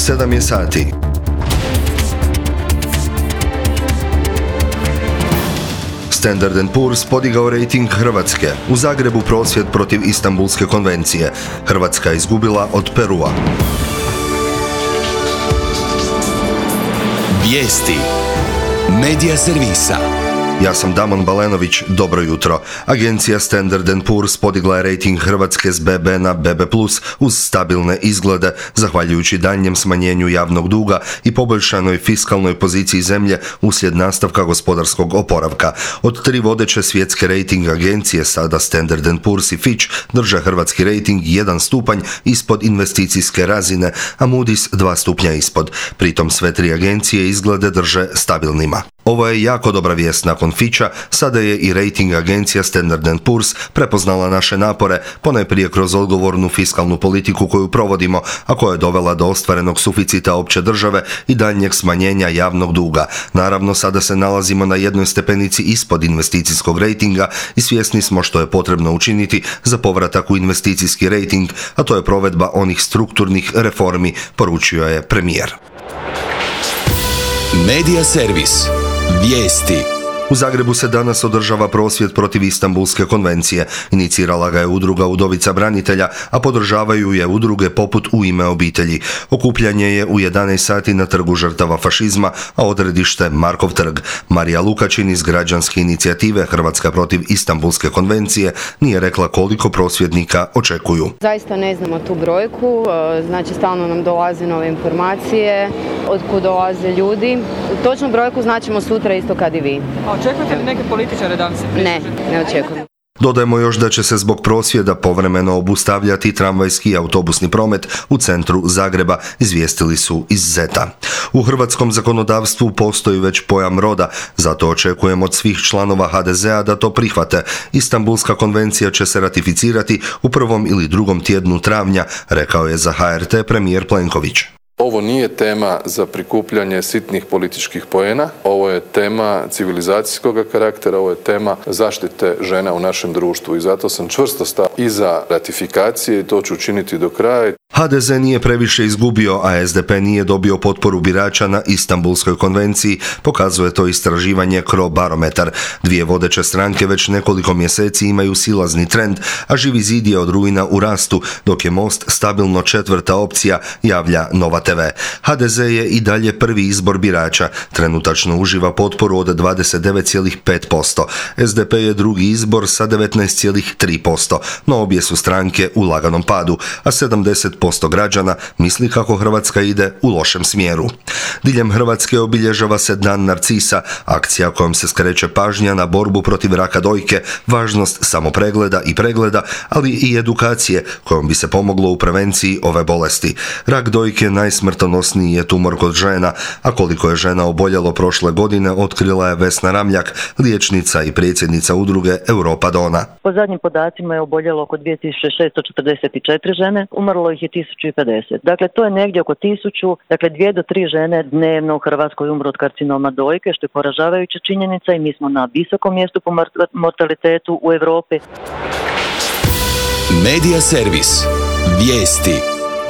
7 je sati. Standard & Poor's podigao rejting Hrvatske. U Zagrebu prosvjed protiv Istanbulske konvencije. Hrvatska izgubila od Perua. Vijesti Medija servisa. Ja sam Damon Balenović, dobro jutro. Agencija Standard & Poor's podigla je rejting Hrvatske s BB na BB+, uz stabilne izglede, zahvaljujući daljnjem smanjenju javnog duga i poboljšanoj fiskalnoj poziciji zemlje uslijed nastavka gospodarskog oporavka. Od 3 vodeće svjetske rejting agencije, sada Standard & Poor's i Fitch, drže hrvatski rejting 1 stupanj ispod investicijske razine, a Moody's 2 stupnja ispod. Pritom sve 3 agencije izglede drže stabilnima. Ovo je jako dobra vijest nakon Fitcha, sada je i rejting agencija Standard & Poor's prepoznala naše napore, ponajprije kroz odgovornu fiskalnu politiku koju provodimo, a koja je dovela do ostvarenog suficita opće države i daljnjeg smanjenja javnog duga. Naravno, sada se nalazimo na jednoj stepenici ispod investicijskog rejtinga i svjesni smo što je potrebno učiniti za povratak u investicijski rejting, a to je provedba onih strukturnih reformi, poručio je premijer. Medija servis. Vijesti. U Zagrebu se danas održava prosvjed protiv Istanbulske konvencije. Inicirala ga je udruga Udovica branitelja, a podržavaju je udruge poput U ime obitelji. Okupljanje je u 11 sati na Trgu žrtava fašizma, a odredište Markov trg. Marija Lukačin iz građanske inicijative Hrvatska protiv Istanbulske konvencije nije rekla koliko prosvjednika očekuju. Zaista ne znamo tu brojku, znači stalno nam dolaze nove informacije, otkud dolaze ljudi. Točnu brojku značimo sutra isto kad i vi. Očekujete li neke političare da vam se pridruže? Ne očekujem. Dodajemo još da će se zbog prosvjeda povremeno obustavljati tramvajski i autobusni promet u centru Zagreba, izvijestili su iz Zeta. U hrvatskom zakonodavstvu postoji već pojam roda, zato očekujem od svih članova HDZ-a da to prihvate. Istanbulska konvencija će se ratificirati u 1. ili 2. tjednu travnja, rekao je za HRT premijer Plenković. Ovo nije tema za prikupljanje sitnih političkih poena, ovo je tema civilizacijskog karaktera, ovo je tema zaštite žena u našem društvu i zato sam čvrsto stao iza ratifikacije i to ću učiniti do kraja. HDZ nije previše izgubio, a SDP nije dobio potporu birača na Istanbulskoj konvenciji, pokazuje to istraživanje Crobarometar. 2 vodeće stranke već nekoliko mjeseci imaju silazni trend, a Živi zid je od rujna u rastu, dok je Most stabilno 4. opcija, javlja Nova TV. HDZ je i dalje prvi izbor birača, trenutačno uživa potporu od 29,5%. SDP je drugi izbor sa 19,3%, no obje su stranke u laganom padu, a 70% građana misli kako Hrvatska ide u lošem smjeru. Diljem Hrvatske obilježava se Dan Narcisa, akcija kojom se skreće pažnja na borbu protiv raka dojke, važnost samopregleda i pregleda, ali i edukacije kojom bi se pomoglo u prevenciji ove bolesti. Rak dojke najsmrtonosniji je tumor kod žena, a koliko je žena oboljelo prošle godine otkrila je Vesna Ramljak, liječnica i predsjednica udruge Europa Dona. Po zadnjim podacima je oboljelo oko 2644 žene, umrlo ih je 1050. Dakle, to je negdje oko 1000, dakle 2 do 3 žene dnevno u Hrvatskoj umru od karcinoma dojke, što je poražavajuća činjenica i mi smo na visokom mjestu po mortalitetu u Europi. Medija servis. Vijesti.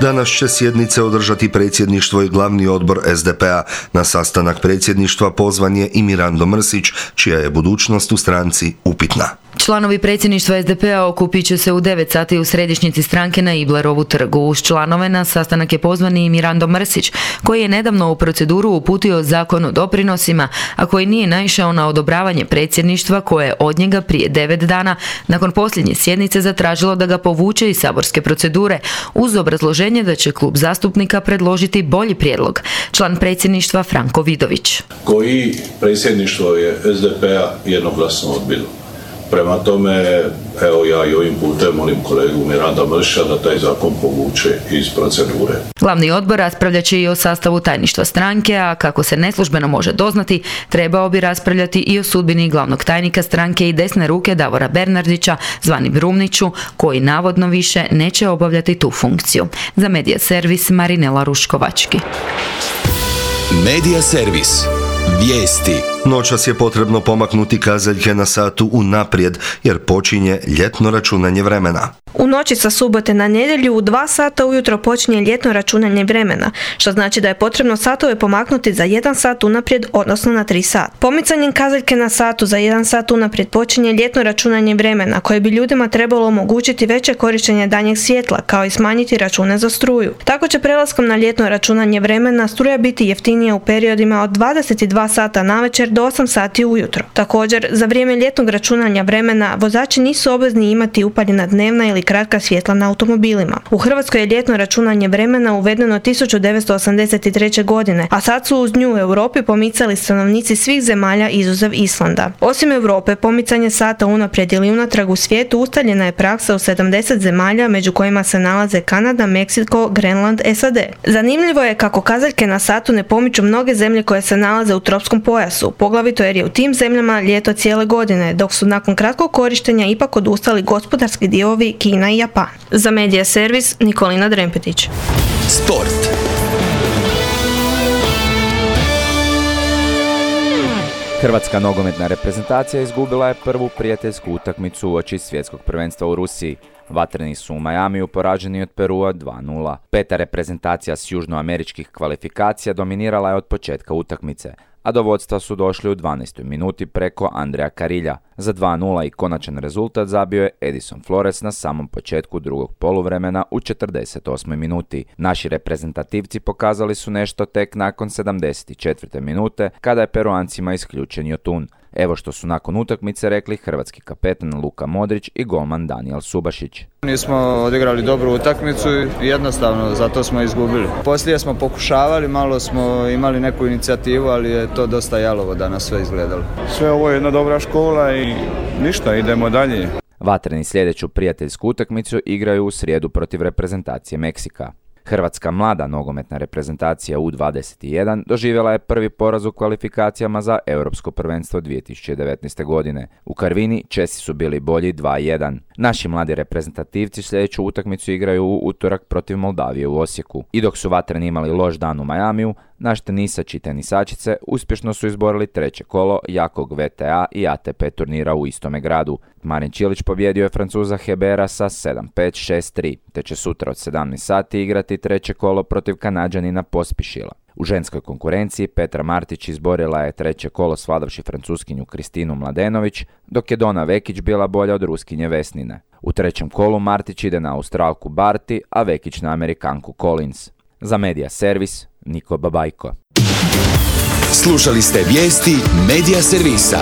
Danas će sjednice održati predsjedništvo i glavni odbor SDP-a. Na sastanak predsjedništva pozvan je i Mirando Mrsić, čija je budućnost u stranci upitna. Članovi predsjedništva SDP-a okupit će se u 9 sati u središnjici stranke na Iblerovu trgu. Uz članove na sastanak je pozvan i Mirando Mrsić, koji je nedavno u proceduru uputio zakon o doprinosima, a koji nije naišao na odobravanje predsjedništva koje je od njega prije 9 dana nakon posljednje sjednice zatražilo da ga povuče iz saborske procedure, uz obrazloženje da će klub zastupnika predložiti bolji prijedlog. Član predsjedništva Franko Vidović. Koji predsjedništvo je SDP-a jednoglasno odbilo. Prema tome, evo ja i ovim putem molim kolegu Miranda Mrsića da taj zakon povuče iz procedure. Glavni odbor raspravljat će i o sastavu tajništva stranke, a kako se neslužbeno može doznati, trebao bi raspravljati i o sudbini glavnog tajnika stranke i desne ruke Davora Bernardića, zvani Brumniću, koji navodno više neće obavljati tu funkciju. Za Medija servis Marinela Ruškovački. Medija servis. Vijesti. Noćas je potrebno pomaknuti kazaljke na satu unaprijed, jer počinje ljetno računanje vremena. U noći sa subote na nedjelju u 2 sata ujutro počinje ljetno računanje vremena, što znači da je potrebno satove pomaknuti za 1 sat unaprijed, odnosno na 3 sata. Pomicanjem kazaljke na satu za 1 sat unaprijed počinje ljetno računanje vremena, koje bi ljudima trebalo omogućiti veće korištenje danjeg svjetla, kao i smanjiti račune za struju. Tako će prelaskom na ljetno računanje vremena struja biti jeftinija u periodima od 22 sata navečer do 8 sati ujutro. Također, za vrijeme ljetnog računanja vremena vozači nisu obvezni imati upaljena dnevna ili kratka svjetla na automobilima. U Hrvatskoj je ljetno računanje vremena uvedeno 1983. godine, a sad su uz nju u Europi pomicali stanovnici svih zemalja izuzev Islanda. Osim Europe, pomicanje sata unaprijed ili unatrag u svijetu ustaljena je praksa u 70 zemalja, među kojima se nalaze Kanada, Meksiko, Grenland, SAD. Zanimljivo je kako kazaljke na satu ne pomiču mnoge zemlje koje se nalaze u tropskom pojasu, poglavito jer je u tim zemljama ljeto cijele godine, dok su nakon kratkog korištenja ipak odustali gospodarski dijelovi Kina i Japan. Za Medija servis Nikolina Drempetić. Sport. Hrvatska nogometna reprezentacija izgubila je prvu prijateljsku utakmicu uoči svjetskog prvenstva u Rusiji. Vatreni su u Majamiju poraženi od Perua 2:0. Peta reprezentacija s južnoameričkih kvalifikacija dominirala je od početka utakmice, a do vodstva su došli u 12. minuti preko Andreja Karilja. Za 2:0 i konačan rezultat zabio je Edison Flores na samom početku drugog poluvremena u 48. minuti. Naši reprezentativci pokazali su nešto tek nakon 74. minute, kada je Peruancima isključen Jotun. Evo što su nakon utakmice rekli hrvatski kapetan Luka Modrić i golman Danijel Subašić. Nismo odigrali dobru utakmicu i jednostavno zato smo izgubili. Poslije smo pokušavali, malo smo imali neku inicijativu, ali je to dosta jalovo danas sve izgledalo. Sve ovo je jedna dobra škola i ništa, idemo dalje. Vatreni sljedeću prijateljsku utakmicu igraju u srijedu protiv reprezentacije Meksika. Hrvatska mlada nogometna reprezentacija U21 doživjela je prvi poraz u kvalifikacijama za Europsko prvenstvo 2019. godine. U Karvini Česi su bili bolji 2:1. Naši mladi reprezentativci sljedeću utakmicu igraju u utorak protiv Moldavije u Osijeku. I dok su Vatreni imali loš dan u Majamiju, naš tenisač i tenisačice uspješno su izborili 3. kolo jakog VTA i ATP turnira u istome gradu. Marin Čilić pobjedio je Francuza Hebera sa 7-5, 6-3, te će sutra od 17 sati igrati 3. kolo protiv Kanađanina Pospišila. U ženskoj konkurenciji Petra Martić izborila je 3. kolo svladavši Francuskinju Kristinu Mladenović, dok je Dona Vekić bila bolja od Ruskinje Vesnine. U 3. kolu Martić ide na Australku Barty, a Vekić na Amerikanku Collins. Za Medija servis Niko Babajko. Slušali ste vijesti Medija servisa.